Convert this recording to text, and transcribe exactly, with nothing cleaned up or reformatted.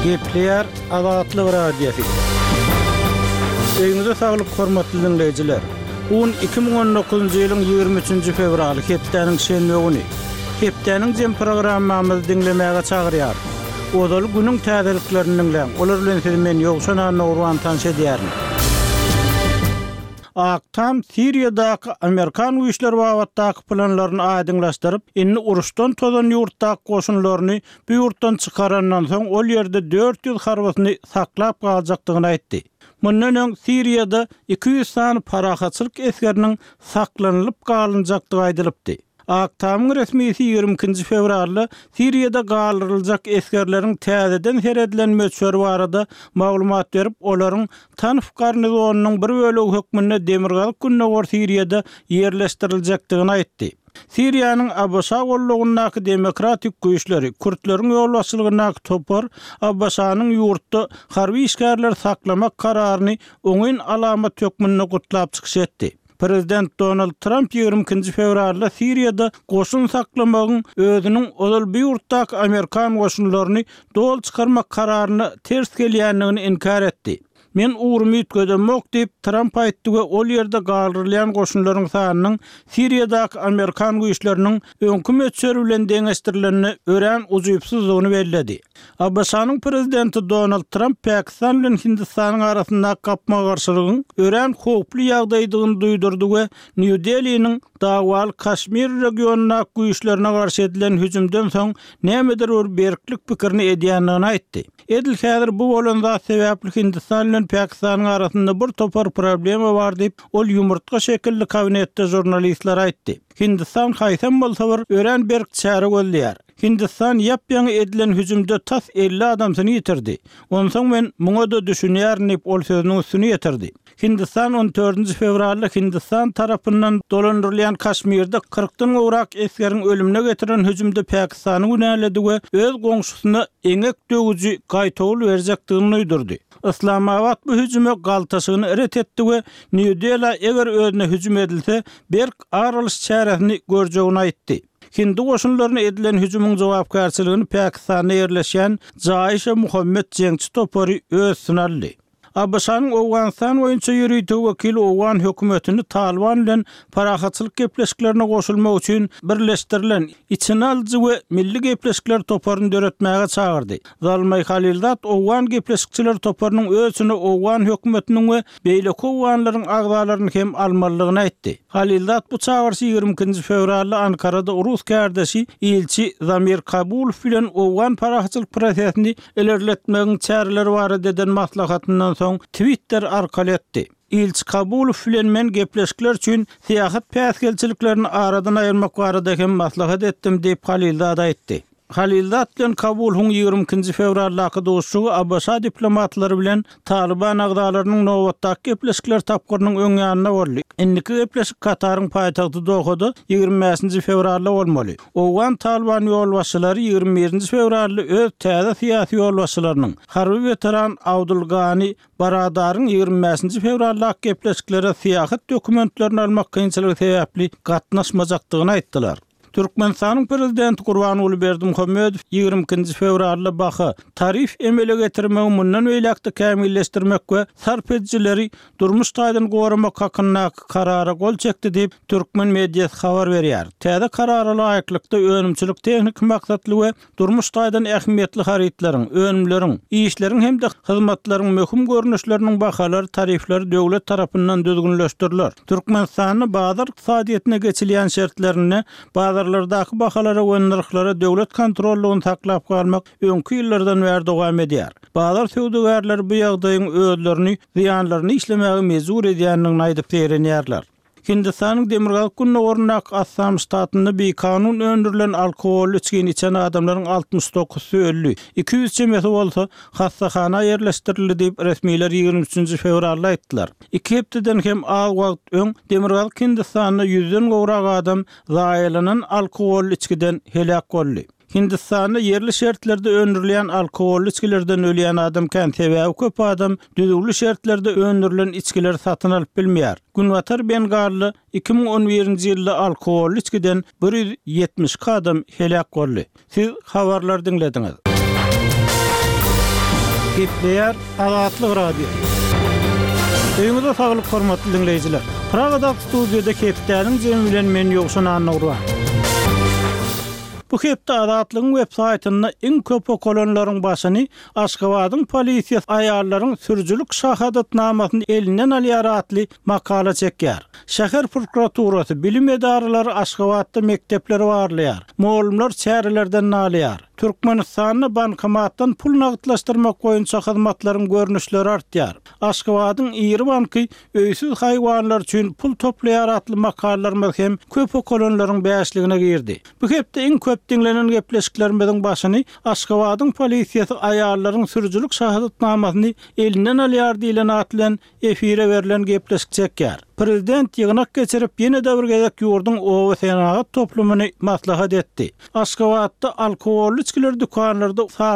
Gepleýär Azatlyk Radiosy. Öýüňize saglyk hormatly diňleýjiler. Bu gün iki müň on dokuzynjy ýylyň ýigrimi üçünji fewraly, hepdäniň şenbe güni. Hepdäniň jem programmamyzy diňlemäge çagyrýar. Ozaly günüň täzeliklerini diňläň. Olar bilen sizi men Ýowşan Annagurban tanyş edýärin. Ak Tam Siriýadaky Amerikan güýçleri babatdaky planlaryny aýdyňlaşdyryp, indi uruşdan tozan ýurtdaky goşunlaryny bu ýurtdan çykarandan soň ol ýerde dört ýüz harbysyny saklap galjakdygyny aýtdy. Mundan öň Siriýada iki ýüz sany parahatçylyk esgeriniň saklanylyp galynjakdygy aýdylypdy. Ak Tamyň resmisi ýigrimi ikinji fewralda Siriýada galdyryljak esgerleriň täzeden seredilen möçberi barada maglumat berip, olaryň Tanf garnizonynyň bir bölegi hökmünde Demirgazyk Gündogar Siriýada ýerleşdiriljekdigini aýtdy. Siriýanyň A B Ş gollugyndaky demokratik güýçleri, Kürtleriň ýolbaşçylygyndaky topar A B Ş-nyň ýurtda harby işgärleri saklamak kararyny oňyn alamat hökmünde gutlap çykyş etdi. Prezident Donald Trump ýigrimi ikinji fewralda Siriýada goşun saklamagyň özüniň ozal bu ýurtdaky Amerikan goşunlaryny doly çykarmak kararyna ters gelýändigini inkär etdi. Men ugrumy üýtgedemok diýip Trump aýtdy we ol ýerde galdyrylýan goşunlaryň sanynyň Siriýadaky Amerikan güýçleriniň öňki möçberi bilen deňeşdirilende örän ujypsyzdygyny belledi. A B Ş-nyň prezidenti Donald Trump Pakistan bilen Hindistanyň arasyndaky gapma-garşylygyň örän howply ýagdaýdygyny duýdurdy we New Delhi'niň dawaly Kaşmir regionyndaky güýçlerine garşy edilen hüjümden soň nämedir bir berklik pikirini edýändigini aýtdy. Edil häzir bu bolan zat sebäpli Hindistan bilen Pakistanyň arasynda bir topar problema bar diýip, ol ýumurtga şekilli kabinetde jurnalistler aýtdy. Hindistan haýsam bolsa bir örän berk çäre gözleýär. Hindistan ýap-ýaňy edilen hüjümde tas elli adamsyny ýitirdi. Onsoň men muňa da düşünýärin diýip ol sözüniň üstüni ýetirdi. Hindistan on dördünji fewralda Hindistan tarapyndan dolandyrylýan Kaşmirde kyrkdan gowrak esgeriň ölümine getiren hüjümde Pakistany günäledi we öz goňşusyna eňek döwüji gaýtawul berjekdigini duýdurdy. Islamabad bu hüjüme galtaşygyny ret etdi we New Delhi eger özüne hüjüm edilse, berk aralyş çäresini görjegini aýtdy. Hindi goşunlaryna edilen hüjümiň jogapkärçiligini Pakistanda ýerleşýän Jaişe Muhammed jeňçi topary öz üstüne aldy. A B Ş-nyň Owganystan boýunça ýörite wekili Owgan hökümetini Taliban bilen parahatçylyk gepleşiklerine goşulmak üçin birleşdirilen içine alyjy we milli gepleşikler toparyny döretmäge çagyrdy. Zalmay Halilzad Owgan gepleşikçiler toparynyň öz içine Owgan hökümetiniň we beýleki Owganlaryň agzalaryny hem almalydygyny aýtdy. Halilzad bu çagyryşy ýigrimi ikinji fewralda Ankarada Rus kärdeşi ilçi Zamir Kabulow bilen Owgan parahatçylyk prosesini ilerletmegiň çäreleri barada eden maslahatyndan soň Twitter arkaly etdi. Ilçi Kabulow bilen men gepleşikler üçin syýahat päsgelçiliklerini aradan aýyrmak barada hem maslahat etdim diýip Halilzad aýtdy. Halilzad bilen Kabulowyň ýigrimi ikinji fewraldaky duşuşygy A B Ş diplomatlary bilen Taliban agzalarynyň nobatdaky gepleşikler tapgyrynyň öň ýanynda boldy. Indiki gepleşik Kataryň paýtagty Dohada ýigrimi bäşinji fewralda bolmaly. Owgan Taliban ýolbaşçylary ýigrimi birinji fewralda öz täze syýasy ýolbaşçylarynyň harby weteran Abdulgani Baradaryň ýigrimi bäşinji fewraldaky gepleşiklere syýahat dokumentlerini almak kynçylygy sebäpli gatnaşmajakdygyny aýtdylar. Türkmenistanyň prezidenti Gurbanguly Berdimuhamedow ýigrimi ikinji fewralda baha tarif emele getirmegi mundan beýläk-de kämilleşdirmek we sarp edijileri durmuş taýdan goramak hakyndaky karara gol çekdi diýip türkmen mediasy habar berýär. Täze karara laýyklykda önümçilik tehniki maksatly we durmuş taýdan ähmiýetli harytlaryň, önümleriň, işleriň hem-de hyzmatlaryň möhüm görnüşleriniň bahalary, tarifleri döwlet tarapyndan düzgünleşdiriler. Türkmenistanda bazar ykdysadyýetine geçilýän şertlerinde bazarlardaky bahalara we nyrhlara döwlet kontrollugyny saklap galmak öňki ýyllardan bäri dowam edýär. Bazar söwdagärleri bu ýagdaýyň özlerini zyýanlaryny işlemäge mejbur edýändigini aýdyp seýrenýärler. Hindistanyň Demirgazyk Gündogaryndaky Assam ştatynda bikanun öndürilen alkoholly içgini içen adamlaryň altmyş dokuzsy öldi. Iki ýüz çemesi bolsa hassahana ýerleşdirildi diýip resmiler ýigrimi üçünji fewralda aýtdylar. Iki hepdeden hem az wagt öň Demirgazyk Hindistanda ýüzden gowrak adam zaýalanan alkoholly içgiden heläk boldy. Hindistanda ýerli şertlerde öndürilýän alkoholly içgilerden ölýän adam kän, sebäbi köp adam düzgünli şertlerde öndürilen içgileri satyn alyp bilmeýär. Günbatar Bengalda iki müň on birinji ýylda alkoholly içgiden bir ýüz ýetmiş iki adam heläk boldy. Siz habarlar diňlediňiz. Gepleýär Azatlyk Radiosy. Öýüňize saglyk hormatly diňleýjiler. Pragadaky studiýada hepdäniň jemi bilen men Ýowşan Annagurban. Bu hepde Azatlygyň web saýtynda iň köp okalanlaryň başyny Aşgabadyň polisiýasy aýallaryň sürüjilik şahadatnamasyny elinden alýar atly makala çekýär. Şäher prokuraturasy bilim edaralary Aşgabatda mekdepleri barlaýar. Mugallymlar çärelerden nalýar. Türkmenistanda bankomatdan pul nagtlaşdyrmak boýunça hyzmatlaryň görnüşleri artýar. Aşgabadyň iri banky öýsüz haýwanlar üçin pul toplaýar atly makalalarymyz hem köp okalanlaryň bäşligine girdi. Bu hepde iň köp diňlenen gepleşiklerimiziň başyny Aşgabadyň polisiýasy aýallaryň sürüjilik şahadatnamasyny elinden alýar diýlen atly efire berlen gepleşik çekýär. Prezident ýygnak geçirip ýene-de bir gezek ýurduň oba senagat toplumyny maslahat etdi. Aşgabatda alkogolly içgiler dükanlarda sagat